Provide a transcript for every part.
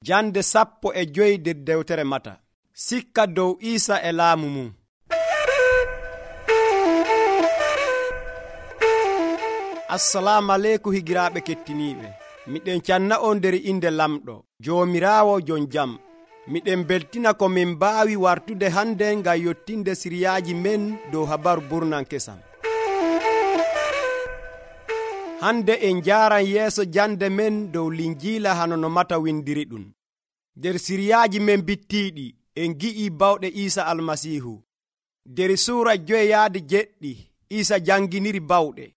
Jande 15 nder dewtere Mata. Sikka dow Iisa e laamu mum. Assalamu aleykum higiraaɓe kettiniiɓe. Miɗen canna on nder inde Lamɗo, Joomiraawo jon jam. Miɗen beltina ko min mbaawi wartude hande ngam yottinde siriyaaji men dow habaru burnan kesam. Hande en njaaran yeeso jande men dow Linjiila hano no Mata windiri ɗum. Nder siriyaaji men bittiiɗi en gi'i bawɗe Iisa Almasiihu. Nder suura 5:7 Iisa janginiri bawɗe.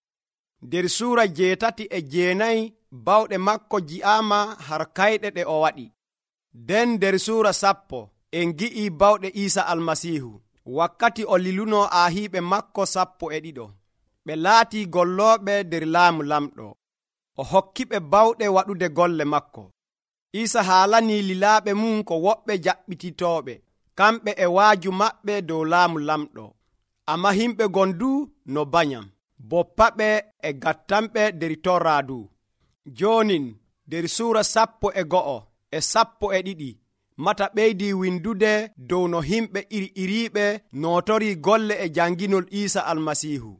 Nder suura 8-9 bawɗe makko ji'aama har kayɗe ɗe o waɗi. Nden nder suura 10 en gi'i bawɗe Iisa Almasiihu wakkati o liluno aahiiɓe makko 12. Ɓe laatii gollooɓe nder laamu lamɗo. O hokkiɓe bawɗe waɗude golle makko. Iisa haalanii lilaaɓe mum ko woɓɓe jaɓɓititooɓe, kamɓe e waaju maɓɓe dow laamu lamɗo. Ammaa himɓe gondu no banyam, boppaɓe e gattanɓe nder torraadu. Joonin nder suura 12 Mata ɓeydii windude dow no himɓe iriiɓe nootorii golle e janginol Iisa Almasiihu.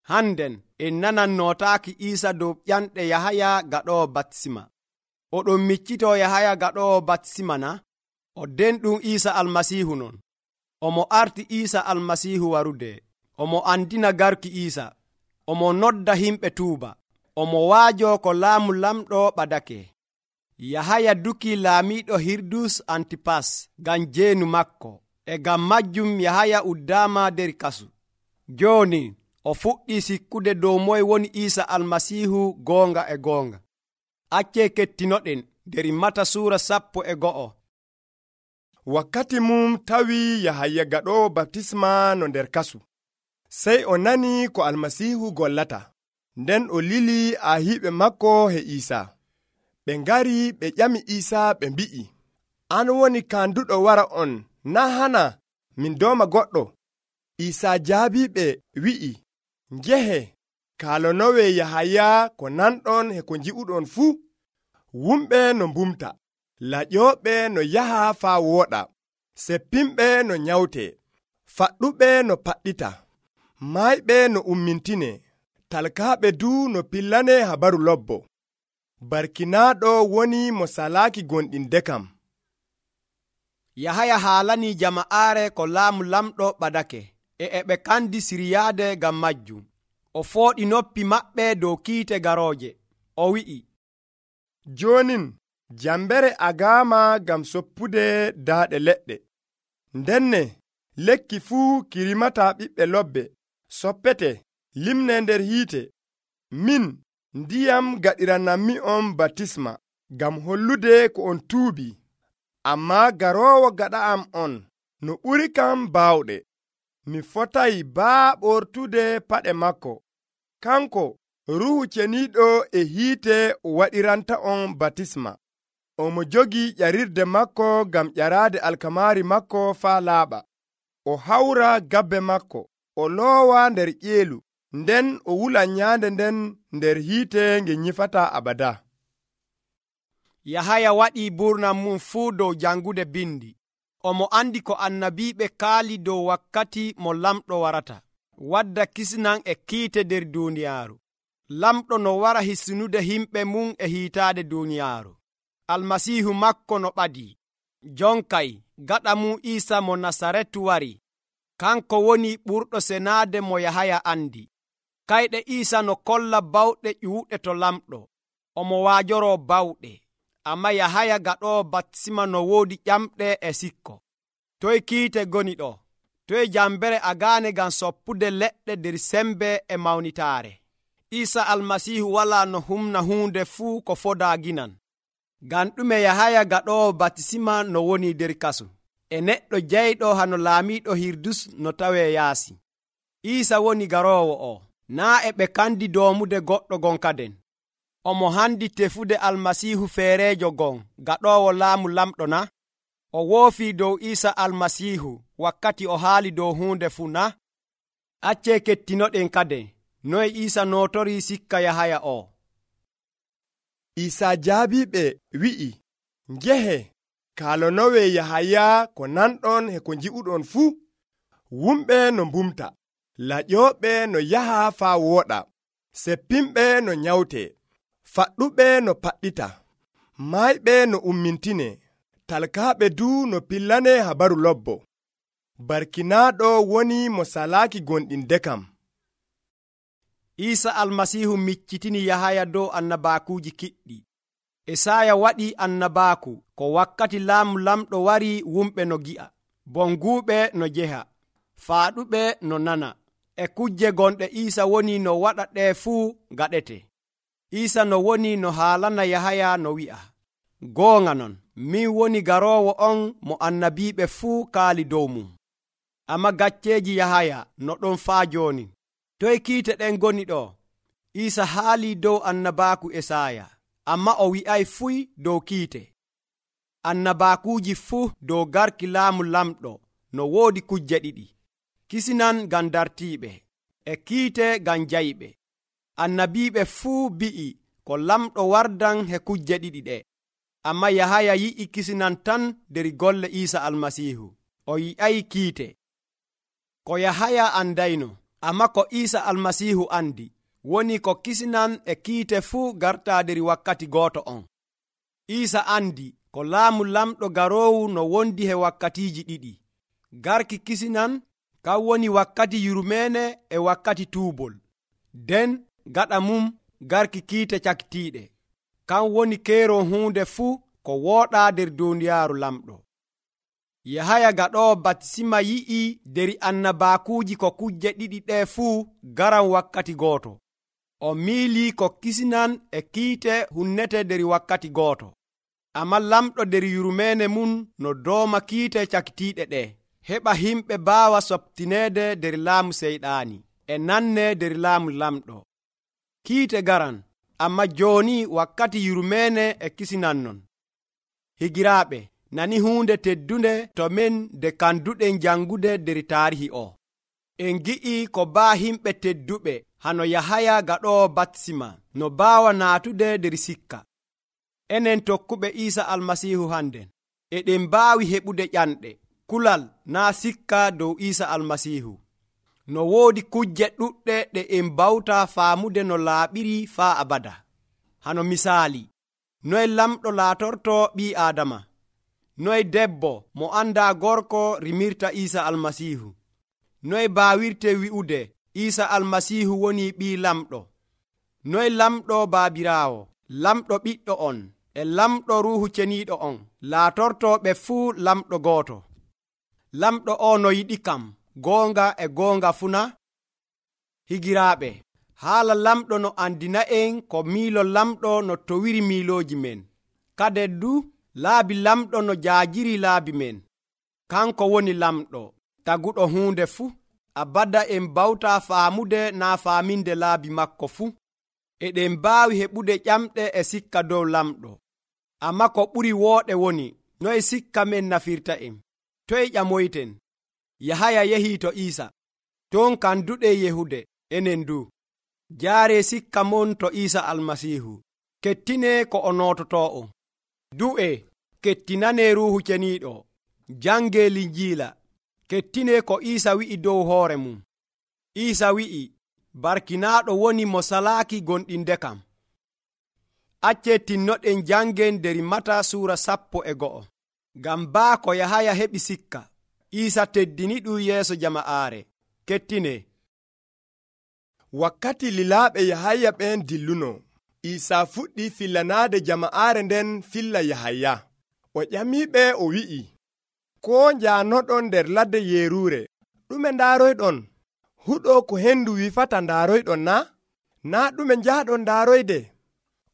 Hannden en nanan nootaaki Iisa dow ƴanɗe Yahaya gaɗoowo baptisma. Oɗon miccitoo Yahaya gaɗoowo baptisma na? O denɗum Iisa Almasiihu non. Omo arti Iisa Almasiihu warude. Omo andina garki Iisa. Omo nodda himɓe tuuba. Omo waajoo ko laamu lamɗo ɓadake. Yahaya duki laamiiɗo Hirdus Antipas ngam jeenu makko. E ngam majjum Yahaya uddaama nder kasu. Jooni o fuɗɗii sikkude dow moye woni Iisa Almasiihu goonga e goonga. Accee kettinoɗen nder Mata suura 11. Wakkati mum tawi Yahaya gaɗoowo baptisma no nder kasu. Sey o nani ko Almasiihu gollata. Nden o lili aahiiɓe makko he Iisa. Ɓe ngari ɓe ƴami Iisa ɓe mbi'i, an woni kanduɗo wara on, naa hana min dooma goɗɗo? Iisa jaabiɓe wi'i, njehe, kaalonowe Yahaya ko nanɗon e ko nji'uɗon fuu. Wumɓe no mbumta, laƴooɓe no yaha faa wooɗa, seppinɓe no nyawte, faɗɗuɓe no paɗɗita, maayɓe no ummintine, talkaaɓe du no pillane habaru lobbo. Barkinaaɗo woni mo salaaki gonɗinde kam. Yahaya haalanii jama'aare ko laamu lamɗo ɓadake, e ɓe kandi siryaade ngam majjum. O fooɗi noppi maɓɓe dow kiite garooje. O wi'i, joonin jambere agaama ngam soppude daaɗe leɗɗe. Ndenne lekki fuu kirimata ɓiɓɓe lobbe, soppete, limne nder hiite. Min ndiyam gaɗiranammi on baptisma ngam hollude ko on tuubi. Ammaa garoowo gaɗa am on no ɓuri kam baawɗe. Mi fotay baa ɓortude paɗe makko. Kanko Ruuhu Ceniiɗo e hiite waɗiranta on baptisma. Omo jogii ƴarirde makko ngam ƴaraade alkamaari makko faa laaɓa. O hawra gabbe makko, o loowa nder ƴeelu, nden o wula nyaande nden nder hiite nge nyifataa abada. Yahaya waɗii burnam mum fuu dow jangude bindi. Omo andi ko annabiiɓe kaali dow wakkati mo lamɗo warata, wadda kisnan e kiite nder duuniyaaru. Lamɗo no wara hisinude himɓe mum e hiitaade duuniyaaru. Almasiihu makko no ɓadii. Jonkay gaɗa mum Iisa mo Nasaretu wari. Kanko woni ɓurɗo senaade mo Yahaya andi. Kayɗe Iisa no kolla bawɗe ƴuuɗe to lamɗo. Omo waajoroo bawɗe. Amma Yahaya gaɗoowo baptisma no woodi ƴamɗe e sikko. Toye kiite goni ɗo? Toye jambere agaane ngam soppude leɗɗe nder sembe e mawnitaare? Iisa Almasiihu walaa no humna huunde fuu ko fodaa ginan. Ngam ɗume Yahaya gaɗoowo baptisma no woni nder kasu, e neɗɗo jeyɗo hano laamiiɗo Hirdus no tawee yaasi? Iisa woni garoowo o, naa e ɓe kandi doomude goɗɗo gonkaden. Omo handi tefude Almasiihu feereejo gon gaɗoowo laamu lamɗo na? O woofii dow Iisa Almasiihu wakkati o haali dow huunde fuu na? Accee kettinoɗen kaden noye Iisa nootorii sikka Yahaya o. Iisa jaabiɓe wi'i, ngehe kalonowe Yahaya ko nanɗon e ko nji'uɗon fuu. Wumɓe no mbumta, laƴooɓe no yaha faa wooɗa, seppinɓe no nyawte, faɗɗuɓe no paɗɗita, maayɓe no ummintine, talkaaɓe du no pillane habaru lobbo. Barkinaaɗo woni mo salaaki gonɗinde kam. Iisa almasiihu miccitini Yahaya dow annabaakuuji kiɗɗi. Esaya waɗi annabaaku ko wakkati laamu lamɗo wari wumɓe no gi'a, bonguuɓe no jeha, faaɗuɓe no nana, e kujje gonɗe Iisa woni no waɗa ɗee fuu gaɗete. Iisa no woni no haalana Yahaya no wi'a, goonga non, min woni garoowo on mo annabiiɓe fuu kaali dow mum. Amma gacceeji Yahaya no ɗon faa jooni. Toye kiite ɗen goni ɗo? Iisa haalii dow annabaaku Esaya, amma o wi'ay fuy dow kiite. Annabaakuuji fuu dow garki laamu lamɗo no woodi kujje ɗiɗi: kisinan ngam dartiiɓe, e kiite ngam jayɓe. Annabiiɓe fuu bi'i ko lamɗo wardan he kujje ɗiɗi ɗe, amma Yahaya yi'i kisinan tan der golle Iisa almasiihu, o yi'ay kiite. Ko Yahaya andayno, amma ko Iisa almasiihu andi, woni ko kisinan e kiite fuu gartaa der wakkati gooto on. Iisa andi ko laamu lamɗo garoowu no wondi he wakkatiiji ɗiɗi. Garki kisinan kan woni wakkati yurmeene e wakkati tuubol. Den gaɗa mum garki kiite cakitiiɗe, kan woni keeron huunde fuu ko wooɗaa der duuniyaaru lamɗo. Yahaya gaɗoowo batisima yi'i der annabaakuuji ko kujje ɗiɗi ɗee fuu garan wakkati gooto. O miilii ko kisinan e kiite hunnete der wakkati gooto. Amma lamɗo der yurmeene mum no dooma kiite cakitiiɗe ɗee, heɓa himɓe baawa soɓtineede der laamu seyɗaani e nanne der laamu lamɗo. Kiite garan, amma jooni wakkati yurmeene e kisinan non. Higiraaɓe, nani huunde teddunde to men de kanduɗen jangude der taarihi o. En gi'i ko baa himɓe tedduɓe hano Yahaya gaɗoowo batisima no baawa naatude der sikka. Enen tokkuɓe Iisa almasiihu hannden eɗen mbaawi heɓude ƴanɗe, kulal naa sikka dow Iisa almasiihu. No woodi kujje ɗuɗɗe ɗe en mbawta faamude no laaɓiri faa abada. Hano misaali, noye lamɗo laatorto ɓii Aadama, noye debbo mo andaa gorko rimirta Iisa almasiihu, noye baawirte wi'ude Iisa almasiihu woni ɓii lamɗo, noye lamɗo baabiraawo, lamɗo ɓiɗɗo on e lamɗo ruuhu ceniiɗo on laatorto ɓe fuu lamɗo gooto. Lamɗo o no yiɗi kam goonga e goonga funa. Higiraaɓe, haala lamɗo no andina'en ko miilo lamɗo no towiri miilooji men. Kade du laabi lamɗo no jaajiri laabi men. Kanko woni lamɗo taguɗo huunde fuu. Abada en bawta faamude naa faaminde laabi makko fuu. Eɗen mbaawi heɓude ƴamɗe e sikka dow lamɗo. Amma ko ɓuri wooɗe woni noye sikka men nafirta en. Toye ƴamoyten? Yahaya yehii to Iisa, ton kanduɗe yehude enen du. Jaare sikka mon to Iisa almasiihu. Kettine ko o noototoo. Du'e, kettinane ruuhu ceniiɗo. Jange Linjiila. Kettine ko Iisa wi'i dow hoore mum. Iisa wi'i, barkinaaɗo woni mo salaaki gonɗinde kam. Acce tinnoɗen jangen der Mata suura 11. Ngam baa ko Yahaya heɓi sikka, Iisa teddini ɗum yeeso jama'aare. Kettine. Wakkati lilaaɓe Yahaya ɓen dilluno, Iisa fuɗɗi fillanaade jama'aare nden filla Yahaya. O ƴamiɓe o wi'i, ko njaanoɗon nder ladde yeeruure, ɗume ndaaroyɗon? Huɗo ko hendu wifata ndaaroyɗon na? Naa ɗume njahɗon ndaaroyde?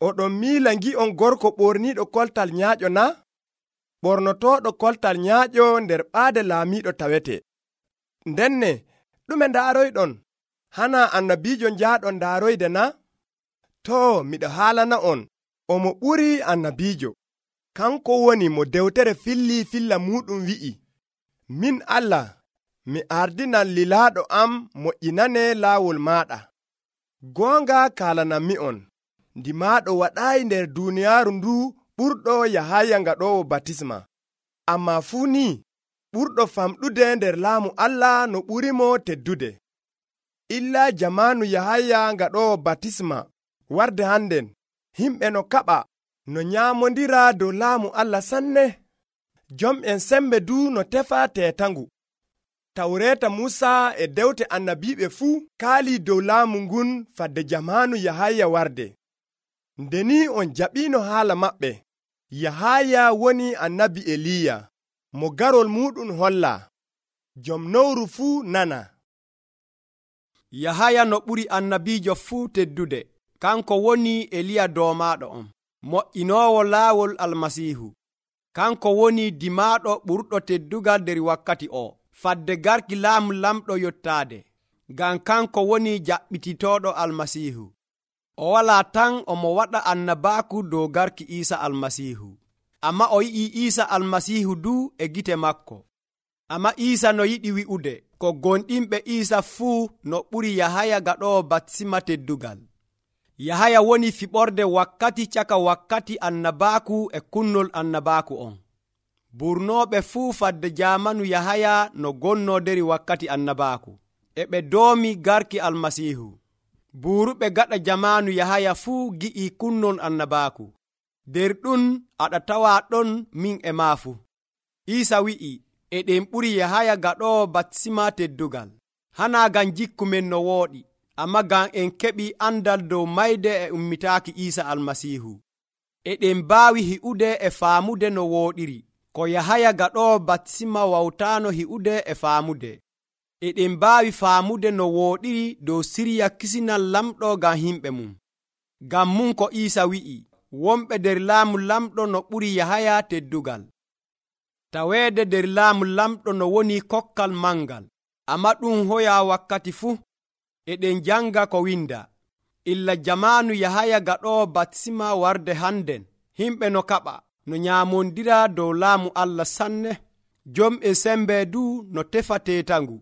Oɗon miila ngi'on gorko ɓorniiɗo koltal nyaaƴo na? Ɓornotooɗo koltal nyaaƴo nder ɓaade laamiiɗo tawete. Ndenne, ɗume ndaaroyɗon? Hana annabiijo njahɗon ndaaroyde na? Too, miɗo haalana on, omo ɓuri annabiijo. Kanko woni mo dewtere filli filla muɗum wi'i, min Allah, mi ardinan lilaaɗo am moƴƴinane laawol maaɗa. Goonga kaalananmi on, ndimaaɗo waɗaayi nder duuniyaaru ndu ɓurɗo Yahaya ngaɗowo batisma, ammaa fuu ni ɓurɗo famɗude nder laamu Allah no ɓurimo teddude. Illa jamaanu Yahaya ngaɗowo batisma warde hannden, himɓe no kaɓa no nyaamondira dow laamu Allah sanne. Jom'en sembe du no tefa teetangu. Tawreeta Muusa e dewte annabiiɓe fuu kaalii dow laamu ngun fadde jamaanu Yahaya warde. Nde ni on jaɓiino haala maɓɓe, Yahaya woni annabi Eliya mo garol muɗum holla. Jom nowru fuu nana. Yahaya no ɓuri annabiijo fuu teddude, kanko woni Eliya doomaaɗo on, mo'inoowo laawol Almasiihu. Kanko woni dimaaɗo ɓurɗo teddugal nder wakkati o, fadde garki laamu lamɗo yottaade, ngam kanko woni jaɓɓititooɗo Almasiihu. O walaa tan omo waɗa annabaaku dow garki Iisa Almasiihu, amma o yi'i Iisa Almasiihu du e gite makko. Amma Iisa no yiɗi wi'ude ko gonɗinɓe Iisa fuu no ɓuri Yahaya gaɗowo batisma teddugal. Yahaya woni fiɓorde wakkati caka wakkati annabaaku e kunnol annabaaku on. Burnooɓe fuu fadde jaamanu Yahaya no gonno deri wakkati annabaaku, e ɓe doomi garki Almasiihu. Buuruɓe gaɗa jamaanu Yahaya fuu gi'i kunnol annabaaku. Der ɗum aɗa tawa ɗon min e maa fuu. Iisa wi'i, eɗen ɓuri Yahaya gaɗowo batisma teddugal, hanaa ngam jikku men no wooɗi, amma ngam en keɓi andal dow mayde e ummitaaki Iisa Almasiihu. Eɗen mbaawi hi'ude e faamude no wooɗiri, ko Yahaya gaɗowo batisma wawtaano hi'ude e faamude. Eɗen mbaawi faamude no wooɗiri dow sirya kisinal lamɗo ngam himɓe mum. Ngam mum ko Iisa wi'i, wonɓe nder laamu lamɗo no ɓuri Yahaya teddugal. Taweede nder laamu lamɗo no woni kokkal mangal, amma ɗum hoya wakkati fuu. Eɗen janga ko winda, illa jamaanu Yahaya gaɗowo batisma warde hannden, himɓe no kaɓa no nyaamondira dow laamu Allah sanne. Jom'e sembe du no tefa teetangu.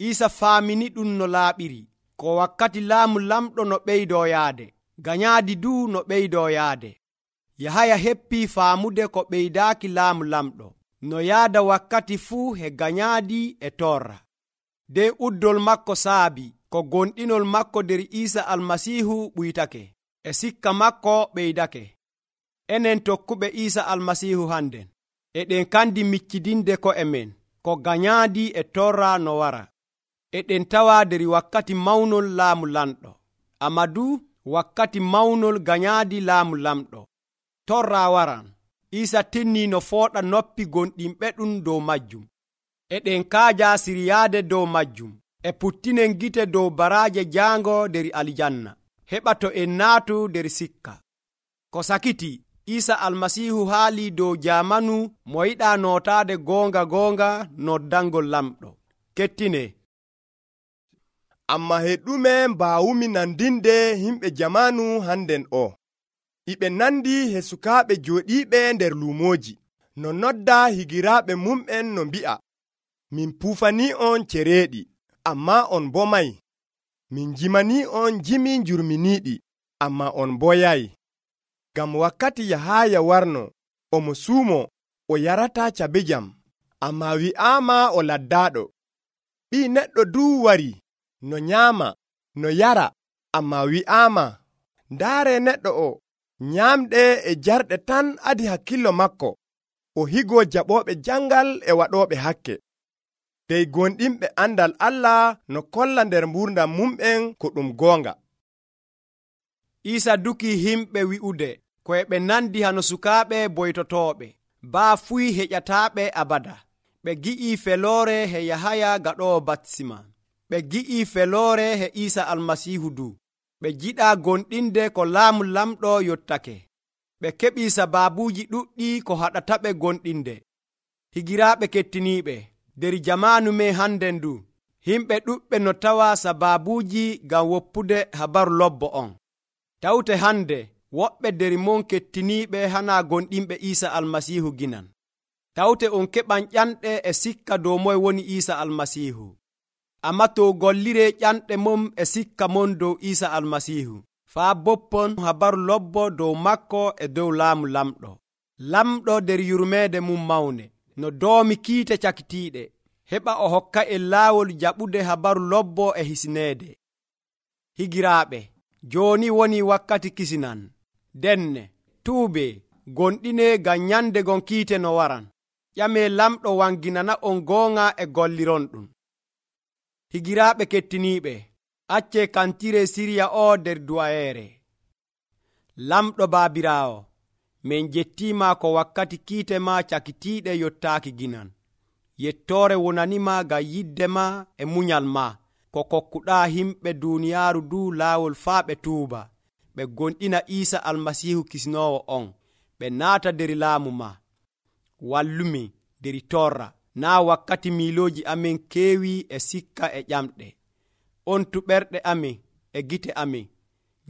Iisa faamini ɗum no laaɓiri, ko wakkati laamu lamɗo no ɓeydoo yaade, ganyaadi du no ɓeydoo yaade. Yahaya heppii faamude ko ɓeydaaki laamu lamɗo, no yaada wakkati fuu he ganyaadi e torra. Den uddol makko saabi, ko gonɗinol makko nder Iisa Almasiihu ɓuytake, e sikka makko ɓeydake. Enen tokkuɓe Iisa Almasiihu hannden, eɗen kandi miccidinde ko'e men, ko ganyaadi e torra no wara. Eɗen tawa nder wakkati mawnol laamu lamɗo, amma du wakkati mawnol ganyaadi laamu lamɗo. Torra waran, Iisa tinnii no fooɗa noppi gonɗinɓe ɗum dow majjum. Eɗen kaaja siryaade dow majjum, e puttinen gite dow baraaje jaango nder aljanna, heɓa to en naatu nder sikka. Ko sakiti, Iisa Almasiihu haalii dow jaamanu mo yiɗaa nootaade goonga noddangol lamɗo. Kettine. Amma he ɗume mbaawumi nandinde himɓe jamaanu hannden o? Iɓe nandi he sukaaɓe jooɗiiɓe nder luumooji, no nodda higiraaɓe mum'en no mbi'a, min puufanii on cereeɗi, ammaa on mbomay. Min jimanii on jimi njurminiiɗi, ammaa on mboyay. Ngam wakkati Yahaya warno, omo suumo, o yarataa cabe jam, ammaa wi'aama o laddaaɗo. Ɓii neɗɗo duu wari, no nyaama, no yara, ammaa wi'aama, ndaare neɗɗo o, nyaamɗe e jarɗe tan adi hakkillo makko, o higoo jaɓooɓe jangal e waɗooɓe hakke. Dey gonɗinɓe andal Allah no kolla nder mburdam mum'en ko ɗum goonga. Iisa duki himɓe wi'ude ko ɓe nandi hano sukaaɓe boytotooɓe, baa fuy heƴataaɓe abada. Ɓe gi'i feloore he Yahaya gaɗowo batisma. Ɓe gi'i feloore he Iisa Almasiihu du. Ɓe jiɗa gonɗinde ko laamu lamɗo yottake. Ɓe keɓi sabaabuuji ɗuɗɗi ko haɗataɓe gonɗinde. Higiraaɓe kettiniiɓe, nder jamaanu men hannden du, himɓe ɗuɓɓe no tawa sabaabuuji ngam woppude habaru lobbo on. Tawte hande woɓɓe nder mon kettiniiɓe hana gonɗinɓe Iisa Almasiihu ginan. Tawte on keɓan ƴanɗe e sikka dow moye woni Iisa Almasiihu. Amma to gollire ƴanɗe mum e sikka mon dow Iisa Almasiihu, faa boppon habaru lobbo dow makko e dow laamu lamɗo nder yurmeede mum mawne no doomi kiite cakitiiɗe heɓa o hokka en laawol jaɓude habaru lobbo e hisneede. Higiraaɓe, jooni woni wakkati kisinan. Denne tuube gonɗine ngam nyande gon kiite no waran. ƴamee lamɗo wanginana on goonga e gollironɗum. Higiraaɓe kettiniiɓe, accee kantire siriya o nder du'ayeere. Lamɗo baabiraawo, min jettiima ko wakkati kiite ma cakitiiɗe yottaaki ginan. Yettoore wonanima ngam yidde ma e munyal ma ko kokkuɗaa himɓe duuniyaaru du laawol faa ɓe tuuba, ɓe gonɗina Iisa Almasiihu Kisnoowo on, ɓe naata der laamu ma. Wallumi der torra, naa wakkati miilooji amin keewi e sikka e ƴamɗe. On tuɓerɗe amin e gite amin,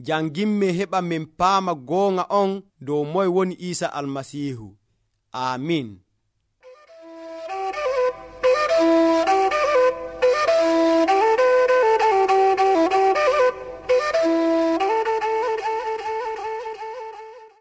janginmi heɓa min paama goonga on dow moye woni Iisa Almasiihu. Aamin.